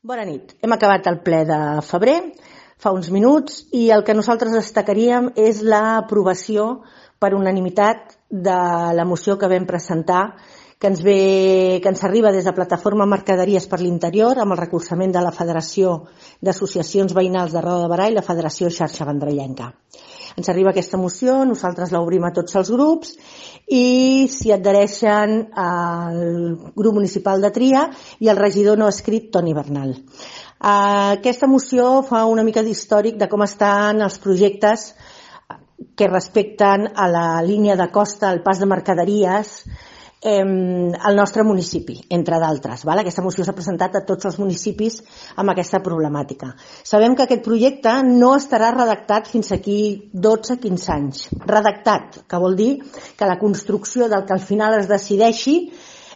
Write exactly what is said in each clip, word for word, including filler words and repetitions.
Bona nit. Hem acabat el ple de febrer, fa uns minuts, i el que nosaltres destacaríem és l'aprovació per unanimitat de la moció que vam presentar, que ens, ve, que ens arriba des de Plataforma Mercaderies per l'Interior, amb el recolzament de la Federació d'Associacions Veïnals de Roda de Berà i la Federació Xarxa Vendrellenca. Ens arriba aquesta moció, nosaltres l'obrim a tots els grups i s'hi adhereixen el grup municipal de Tria i el regidor no escrit Toni Bernal. Aquesta moció fa una mica d'històric de com estan els projectes que respecten a la línia de costa, al pas de mercaderies al nostre municipi, entre d'altres. Aquesta moció s'ha presentat a tots els municipis amb aquesta problemàtica. Sabem que aquest projecte no estarà redactat fins aquí dotze a quinze anys. Redactat, que vol dir que la construcció del que al final es decideixi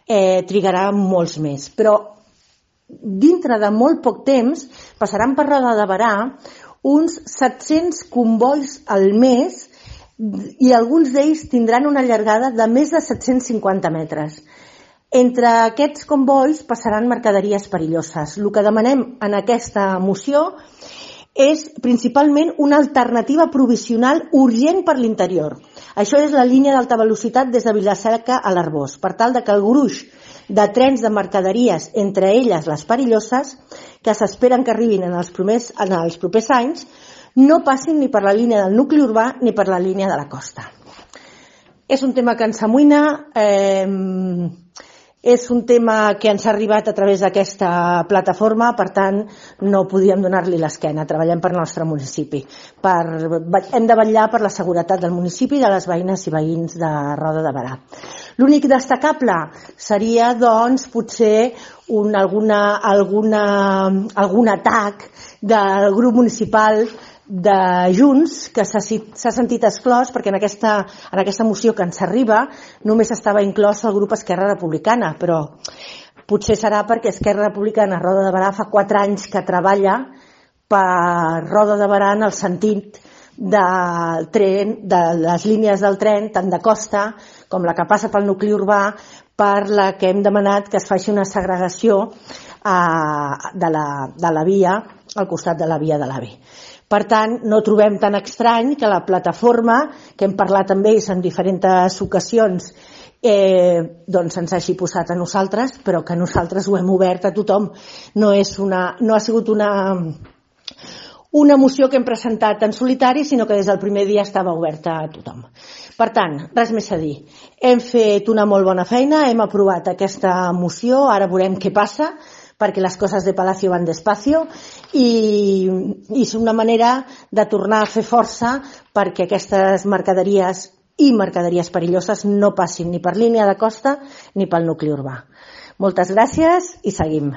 eh, trigarà molts més. Però dintre de molt poc temps passaran per Roda de Berà uns set-cents combois al mes i alguns d'ells tindran una llargada de més de set-cents cinquanta metres. Entre aquests combois passaran mercaderies perilloses. El que demanem en aquesta moció és principalment una alternativa provisional urgent per l'interior. Això és la línia d'alta velocitat des de Vila-seca a l'Arboç, per tal de que el gruix de trens de mercaderies, entre elles les perilloses, que s'esperen que arribin en els propers, en els propers anys, no passin ni per la línia del nucli urbà ni per la línia de la costa. És un tema que ens amoïna, eh, és un tema que ens ha arribat a través d'aquesta plataforma, per tant no podíem donar-li l'esquena, treballem per al nostre municipi. Per, hem de vetllar per la seguretat del municipi i de les veïnes i veïns de Roda de Berà. L'únic destacable seria, doncs, potser un, alguna, alguna, algun atac del grup municipal de Junts, que s'ha sentit exclòs perquè en aquesta, en aquesta moció que ens arriba només estava inclòs el grup Esquerra Republicana, però potser serà perquè Esquerra Republicana Roda de Berà fa quatre anys que treballa per Roda de Berà en el sentit del tren, de les línies del tren, tant de costa com la que passa pel nucli urbà, per la que hem demanat que es faci una segregació eh, de, la, de la via al costat de la via de l'A V E. Per tant, no trobem tan estrany que la plataforma, que hem parlat amb ells en diferents ocasions, eh, doncs ens hagi posat a nosaltres, però que nosaltres ho hem obert a tothom. No, és una, no ha sigut una, una moció que hem presentat en solitari, sinó que des del primer dia estava oberta a tothom. Per tant, res més a dir. Hem fet una molt bona feina, hem aprovat aquesta moció, ara veurem què passa, perquè les coses de Palacio van despacio i, i és una manera de tornar a fer força perquè aquestes mercaderies i mercaderies perilloses no passin ni per línia de costa ni pel nucli urbà. Moltes gràcies i seguim.